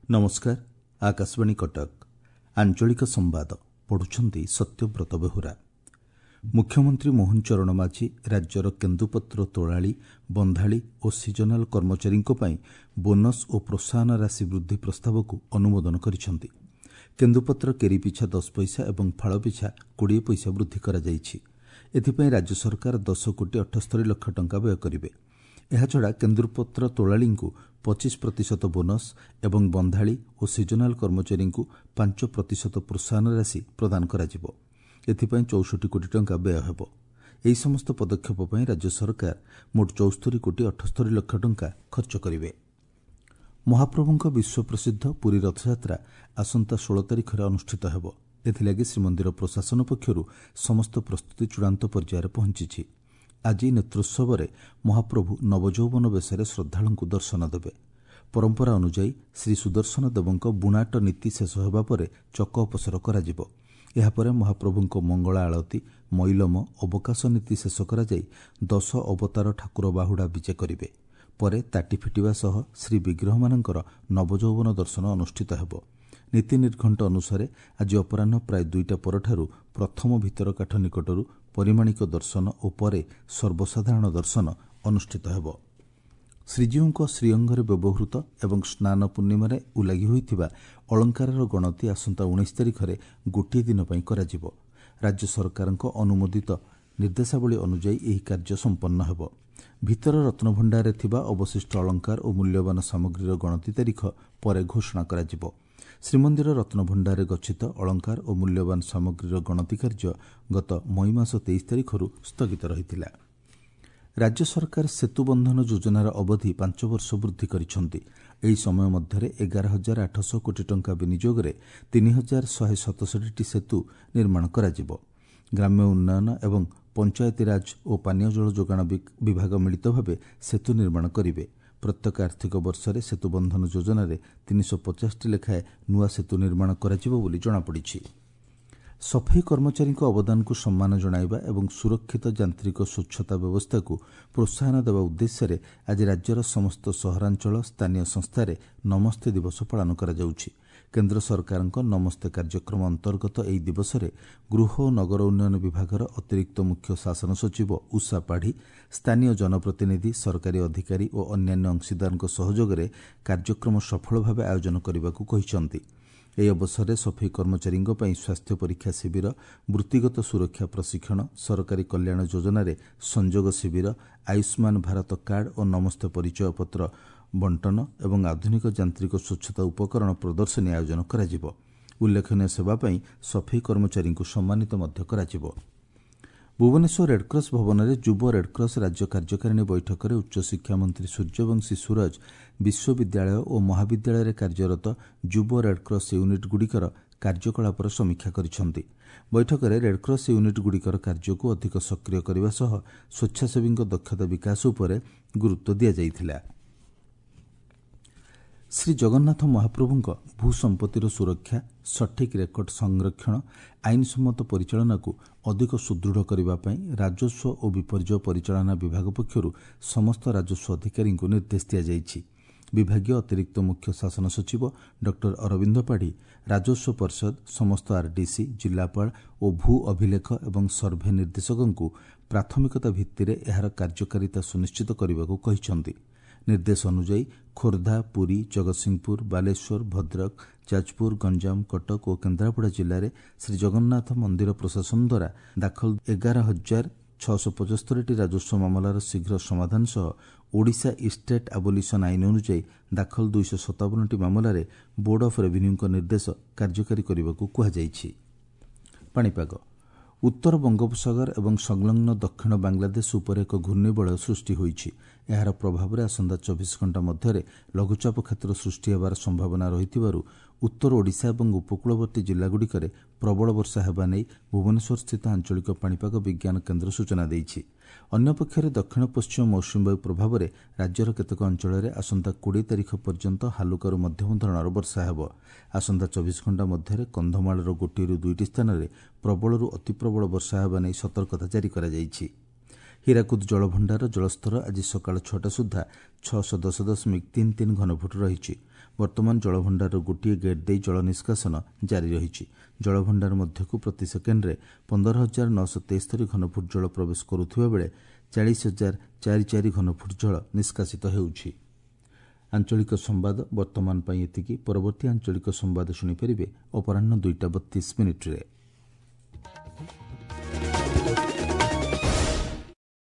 ନମସ୍କାର, ଆକାଶବାଣୀ କଟକ। ଆଞ୍ଚଳିକ ସମ୍ବାଦ ପଢୁଛନ୍ତି ସତ୍ୟବ୍ରତ ବେହୁରା। ମୁଖ୍ୟମନ୍ତ୍ରୀ ମୋହନ ଚରଣ ମାଝୀ ରାଜ୍ୟର କେନ୍ଦୁପତ୍ର ତୋଳାଳି, ବନ୍ଧାଳି ଓ ସିଜନାଲ କର୍ମଚାରୀଙ୍କ ପାଇଁ ବୋନସ୍ ଓ ପ୍ରୋତ୍ସାହନ ରାଶି ବୃଦ୍ଧି ପ୍ରସ୍ତାବକୁ ଅନୁମୋଦନ କରିଛନ୍ତି। କେନ୍ଦୁପତ୍ର କେରି ପିଛା 10 ପଇସା ଏବଂ ଫାଳ ପିଛା 20 ପଇସା ବୃଦ୍ଧି କରାଯାଇଛି। ଏଥିପାଇଁ ରାଜ୍ୟ ସରକାର 10 କୋଟି 78 ଲକ୍ଷ ଟଙ୍କା ବ୍ୟୟ କରିବେ। ଏହାଛଡ଼ା କେନ୍ଦୁପତ୍ର ତୋଳାଳିଙ୍କୁ 25 ପ୍ରତିଶତ ବୋନସ୍ ଏବଂ ବନ୍ଧାଳି ଓ ସିଜନାଲ କର୍ମଚାରୀଙ୍କୁ 5 ପ୍ରତିଶତ ପ୍ରୋତ୍ସାହନ ରାଶି ପ୍ରଦାନ କରାଯିବ। ଏଥିପାଇଁ 64 କୋଟି ଟଙ୍କା ବ୍ୟୟ ହେବ। ଏହି ସମସ୍ତ ପଦକ୍ଷେପ ପାଇଁ ରାଜ୍ୟ ସରକାର ମୋଟ 74 କୋଟି 78 ଲକ୍ଷ ଟଙ୍କା ଖର୍ଚ୍ଚ କରିବେ। ମହାପ୍ରଭୁଙ୍କ ବିଶ୍ୱପ୍ରସିଦ୍ଧ ପୁରୀ ରଥଯାତ୍ରା ଆସନ୍ତା 16 ତାରିଖରେ ଅନୁଷ୍ଠିତ ହେବ। ଏଥିଲାଗି ଶ୍ରୀମନ୍ଦିର ପ୍ରଶାସନ ପକ୍ଷରୁ ସମସ୍ତ ପ୍ରସ୍ତୁତି ଚୂଡ଼ାନ୍ତ ପର୍ଯ୍ୟାୟରେ ପହଞ୍ଚିଛି। ଆଜି ନେତ୍ରୋତ୍ସବରେ ମହାପ୍ରଭୁ ନବଯୌବନ ବେଶରେ ଶ୍ରଦ୍ଧାଳୁଙ୍କୁ ଦର୍ଶନ ଦେବେ। ପରମ୍ପରା ଅନୁଯାୟୀ ଶ୍ରୀ ସୁଦର୍ଶନ ଦେବଙ୍କ ବୁଣାଟ ନୀତି ଶେଷ ହେବା ପରେ ଚକ ଅପସର କରାଯିବ। ଏହାପରେ ମହାପ୍ରଭୁଙ୍କ ମଙ୍ଗଳା ଆଳତୀ, ମଇଲମ, ଅବକାଶ ନୀତି ଶେଷ କରାଯାଇ ଦଶ ଅବତାର ଠାକୁର ବାହୁଡ଼ା ବିଜେ କରିବେ। ପରେ ତାଟି ଫିଟିବା ସହ ଶ୍ରୀବିଗ୍ରହମାନଙ୍କର ନବଯୌବନ ଦର୍ଶନ ଅନୁଷ୍ଠିତ ହେବ। ନୀତି ନିର୍ଘଣ୍ଟ ଅନୁସାରେ ଆଜି ଅପରାହ୍ନ ପ୍ରାୟ 2ଟା ପରଠାରୁ ପ୍ରଥମ ଭିତରକାଠ ନିକଟରୁ ପରିମାଣିକ ଦର୍ଶନ ଓ ପରେ ସର୍ବସାଧାରଣ ଦର୍ଶନ ଅନୁଷ୍ଠିତ ହେବ। ଶ୍ରୀଜୀଉଙ୍କ ଶ୍ରୀଅଙ୍ଗରେ ବ୍ୟବହୃତ ଏବଂ ସ୍ନାନ ପୂର୍ଣ୍ଣିମାରେ ଉଲାଗି ହୋଇଥିବା ଅଳଙ୍କାରର ଗଣତି ଆସନ୍ତା 19 ତାରିଖରେ ଗୋଟିଏ ଦିନ ପାଇଁ କରାଯିବ। ରାଜ୍ୟ ସରକାରଙ୍କ ଅନୁମୋଦିତ ନିର୍ଦ୍ଦେଶାବଳୀ ଅନୁଯାୟୀ ଏହି କାର୍ଯ୍ୟ ସମ୍ପନ୍ନ ହେବ। ଭିତର ରତ୍ନଭଣ୍ଡାରରେ ଥିବା ଅବଶିଷ୍ଟ ଅଳଙ୍କାର ଓ ମୂଲ୍ୟବାନ ସାମଗ୍ରୀର ଗଣତି ତାରିଖ ପରେ ଘୋଷଣା କରାଯିବ। ଶ୍ରୀମନ୍ଦିର ରତ୍ନଭଣ୍ଡାରରେ ଗଚ୍ଛିତ ଅଳଙ୍କାର ଓ ମୂଲ୍ୟବାନ ସାମଗ୍ରୀର ଗଣତି କାର୍ଯ୍ୟ ଗତ ମଇ ମାସ 23 ତାରିଖରୁ ସ୍ଥଗିତ ରହିଥିଲା। ରାଜ୍ୟ ସରକାର ସେତୁ ବନ୍ଧନ ଯୋଜନାର ଅବଧି 5 ବର୍ଷ ବୃଦ୍ଧି କରିଛନ୍ତି। ଏହି ସମୟ ମଧ୍ୟରେ 11,800 କୋଟି ଟଙ୍କା ବିନିଯୋଗରେ 3,167ଟି ସେତୁ ନିର୍ମାଣ କରାଯିବ। ଗ୍ରାମ୍ୟ ଉନ୍ନୟନ ଏବଂ ପଞ୍ଚାୟତିରାଜ ଓ ପାନୀୟ ଜଳ ଯୋଗାଣ ବିଭାଗ ମିଳିତ ଭାବେ ସେତୁ ନିର୍ମାଣ କରିବେ। ପ୍ରତ୍ୟେକ ଆର୍ଥିକ ବର୍ଷରେ ସେତୁ ବନ୍ଧନ ଯୋଜନାରେ 350ଟି ଲେଖାଏଁ ନୂଆ ସେତୁ ନିର୍ମାଣ କରାଯିବ ବୋଲି ଜଣାପଡ଼ିଛି। ସଫେଇ କର୍ମଚାରୀଙ୍କ ଅବଦାନକୁ ସମ୍ମାନ ଜଣାଇବା ଏବଂ ସୁରକ୍ଷିତ ଯାନ୍ତ୍ରିକ ସ୍ୱଚ୍ଛତା ବ୍ୟବସ୍ଥାକୁ ପ୍ରୋତ୍ସାହନ ଦେବା ଉଦ୍ଦେଶ୍ୟରେ ଆଜି ରାଜ୍ୟର ସମସ୍ତ ସହରାଞ୍ଚଳ ସ୍ଥାନୀୟ ସଂସ୍ଥାରେ ନମସ୍ତେ ଦିବସ ପାଳନ କରାଯାଉଛି। କେନ୍ଦ୍ର ସରକାରଙ୍କ ନମସ୍ତେ କାର୍ଯ୍ୟକ୍ରମ ଅନ୍ତର୍ଗତ ଏହି ଦିବସରେ ଗୃହ ଓ ନଗର ଉନ୍ନୟନ ବିଭାଗର ଅତିରିକ୍ତ ମୁଖ୍ୟ ଶାସନ ସଚିବ ଉଷା ପାଢ଼ୀ ସ୍ଥାନୀୟ ଜନପ୍ରତିନିଧି, ସରକାରୀ ଅଧିକାରୀ ଓ ଅନ୍ୟାନ୍ୟ ଅଂଶୀଦାରଙ୍କ ସହଯୋଗରେ କାର୍ଯ୍ୟକ୍ରମ ସଫଳ ଭାବେ ଆୟୋଜନ କରିବାକୁ କହିଛନ୍ତି। ଏହି ଅବସରରେ ସଫେଇ କର୍ମଚାରୀଙ୍କ ପାଇଁ ସ୍ୱାସ୍ଥ୍ୟ ପରୀକ୍ଷା ଶିବିର, ବୃତ୍ତିଗତ ସୁରକ୍ଷା ପ୍ରଶିକ୍ଷଣ, ସରକାରୀ କଲ୍ୟାଣ ଯୋଜନାରେ ସଂଯୋଗ ଶିବିର, ଆୟୁଷ୍ମାନ ଭାରତ କାର୍ଡ ଓ ନମସ୍ତେ ପରିଚୟ ପତ୍ର ବଣ୍ଟନ ଏବଂ ଆଧୁନିକ ଯାନ୍ତ୍ରିକ ସ୍ୱଚ୍ଛତା ଉପକରଣ ପ୍ରଦର୍ଶନୀ ଆୟୋଜନ କରାଯିବ। ଉଲ୍ଲେଖନୀୟ ସେବା ପାଇଁ ସଫେଇ କର୍ମଚାରୀଙ୍କୁ ସମ୍ମାନିତ ମଧ୍ୟ କରାଯିବ। ଭୁବନେଶ୍ୱର ରେଡ୍କ୍ରସ୍ ଭବନରେ ଯୁବ ରେଡ୍କ୍ରସ୍ ରାଜ୍ୟ କାର୍ଯ୍ୟକାରିଣୀ ବୈଠକରେ ଉଚ୍ଚଶିକ୍ଷା ମନ୍ତ୍ରୀ ସୂର୍ଯ୍ୟବଂଶୀ ସୂରଜ ବିଶ୍ୱବିଦ୍ୟାଳୟ ଓ ମହାବିଦ୍ୟାଳୟରେ କାର୍ଯ୍ୟରତ ଯୁବ ରେଡ୍କ୍ରସ୍ ୟୁନିଟ୍ଗୁଡ଼ିକର କାର୍ଯ୍ୟକଳାପର ସମୀକ୍ଷା କରିଛନ୍ତି। ବୈଠକରେ ରେଡ୍କ୍ରସ୍ ୟୁନିଟ୍ଗୁଡ଼ିକର କାର୍ଯ୍ୟକୁ ଅଧିକ ସକ୍ରିୟ କରିବା ସହ ସ୍ୱେଚ୍ଛାସେବୀଙ୍କ ଦକ୍ଷତା ବିକାଶ ଉପରେ ଗୁରୁତ୍ୱ ଦିଆଯାଇଥିଲା। ଶ୍ରୀଜଗନ୍ନାଥ ମହାପ୍ରଭୁଙ୍କ ଭୂସମ୍ପତ୍ତିର ସୁରକ୍ଷା, ସଠିକ୍ ରେକର୍ଡ ସଂରକ୍ଷଣ, ଆଇନସମ୍ମତ ପରିଚାଳନାକୁ ଅଧିକ ସୁଦୃଢ଼ କରିବା ପାଇଁ ରାଜସ୍ୱ ଓ ବିପର୍ଯ୍ୟୟ ପରିଚାଳନା ବିଭାଗ ପକ୍ଷରୁ ସମସ୍ତ ରାଜସ୍ୱ ଅଧିକାରୀଙ୍କୁ ନିର୍ଦ୍ଦେଶ ଦିଆଯାଇଛି। ବିଭାଗୀୟ ଅତିରିକ୍ତ ମୁଖ୍ୟ ଶାସନ ସଚିବ ଡକ୍ଟର ଅରବିନ୍ଦ ପାଢ଼ୀ ରାଜସ୍ୱ ପରିଷଦ, ସମସ୍ତ ଆର୍ଡିସି, ଜିଲ୍ଲାପାଳ ଓ ଭୂ ଅଭିଲେଖ ଏବଂ ସର୍ଭେ ନିର୍ଦ୍ଦେଶକଙ୍କୁ ପ୍ରାଥମିକତା ଭିତ୍ତିରେ ଏହାର କାର୍ଯ୍ୟକାରିତା ସୁନିଶ୍ଚିତ କରିବାକୁ କହିଛନ୍ତି। ନିର୍ଦ୍ଦେଶ ଅନୁଯାୟୀ ଖୋର୍ଦ୍ଧା, ପୁରୀ, ଜଗତସିଂହପୁର, ବାଲେଶ୍ୱର, ଭଦ୍ରକ, ଯାଜପୁର, ଗଞ୍ଜାମ, କଟକ ଓ କେନ୍ଦ୍ରାପଡ଼ା ଜିଲ୍ଲାରେ ଶ୍ରୀଜଗନ୍ନାଥ ମନ୍ଦିର ପ୍ରଶାସନ ଦ୍ୱାରା ଦାଖଲ 11,675ଟି ରାଜସ୍ୱ ମାମଲାର ଶୀଘ୍ର ସମାଧାନ ସହ ଓଡ଼ିଶା ଇଷ୍ଟେଟ୍ ଆବୋଲିସନ୍ ଆଇନ ଅନୁଯାୟୀ ଦାଖଲ 257ଟି ମାମଲାରେ ବୋର୍ଡ ଅଫ୍ ରେଭିନ୍ୟୁଙ୍କ ନିର୍ଦ୍ଦେଶ କାର୍ଯ୍ୟକାରୀ କରିବାକୁ କୁହାଯାଇଛି। ପାଣିପାଗ ଉତ୍ତର ବଙ୍ଗୋପସାଗର ଏବଂ ସଂଲଗ୍ନ ଦକ୍ଷିଣ ବାଂଲାଦେଶ ଉପରେ ଏକ ଘୂର୍ଣ୍ଣିବଳୟ ସୃଷ୍ଟି ହୋଇଛି। ଏହାର ପ୍ରଭାବରେ ଆସନ୍ତା 24 ଘଣ୍ଟା ମଧ୍ୟରେ ଲଘୁଚାପ କ୍ଷେତ୍ର ସୃଷ୍ଟି ହେବାର ସମ୍ଭାବନା ରହିଥିବାରୁ ଉତ୍ତର ଓଡ଼ିଶା ଏବଂ ଉପକୂଳବର୍ତ୍ତୀ ଜିଲ୍ଲାଗୁଡ଼ିକରେ ପ୍ରବଳ ବର୍ଷା ହେବା ନେଇ ଭୁବନେଶ୍ୱରସ୍ଥିତ ଆଞ୍ଚଳିକ ପାଣିପାଗ ବିଜ୍ଞାନ କେନ୍ଦ୍ର ସୂଚନା ଦେଇଛି। ଅନ୍ୟପକ୍ଷରେ ଦକ୍ଷିଣ ପଶ୍ଚିମ ମୌସୁମୀବାୟୁ ପ୍ରଭାବରେ ରାଜ୍ୟର କେତେକ ଅଞ୍ଚଳରେ ଆସନ୍ତା 20 ତାରିଖ ପର୍ଯ୍ୟନ୍ତ ହାଲୁକାରୁ ମଧ୍ୟମ ଧରଣର ବର୍ଷା ହେବ। ଆସନ୍ତା 24 ଘଣ୍ଟା ମଧ୍ୟରେ କନ୍ଧମାଳର ଗୋଟିଏରୁ ଦୁଇଟି ସ୍ଥାନରେ ପ୍ରବଳରୁ ଅତିପ୍ରବଳ ବର୍ଷା ହେବା ନେଇ ସତର୍କତା ଜାରି କରାଯାଇଛି। ହୀରାକୁଦ ଜଳଭଣ୍ଡାରର ଜଳସ୍ତର ଆଜି ସକାଳ 6ଟା ସୁଦ୍ଧା 610.33 ଘନଫୁଟ ରହିଛି। ବର୍ତ୍ତମାନ ଜଳଭଣ୍ଡାରର ଗୋଟିଏ ଗେଟ୍ ଦେଇ ଜଳ ନିଷ୍କାସନ ଜାରି ରହିଛି। ଜଳଭଣ୍ଡାର ମଧ୍ୟକୁ ପ୍ରତି ସେକେଣ୍ଡରେ 15,973 ଘନଫୁଟ ଜଳ ପ୍ରବେଶ କରୁଥିବା ବେଳେ 40,044 ଘନଫୁଟ ଜଳ ନିଷ୍କାସିତ ହେଉଛି। ଆଞ୍ଚଳିକ ସମ୍ବାଦ ବର୍ତ୍ତମାନ ପାଇଁ ଏତିକି। ପରବର୍ତ୍ତୀ ଆଞ୍ଚଳିକ ସମ୍ବାଦ ଶୁଣିପାରିବେ ଅପରାହ୍ନ 2ଟା 32 ମିନିଟ୍ରେ।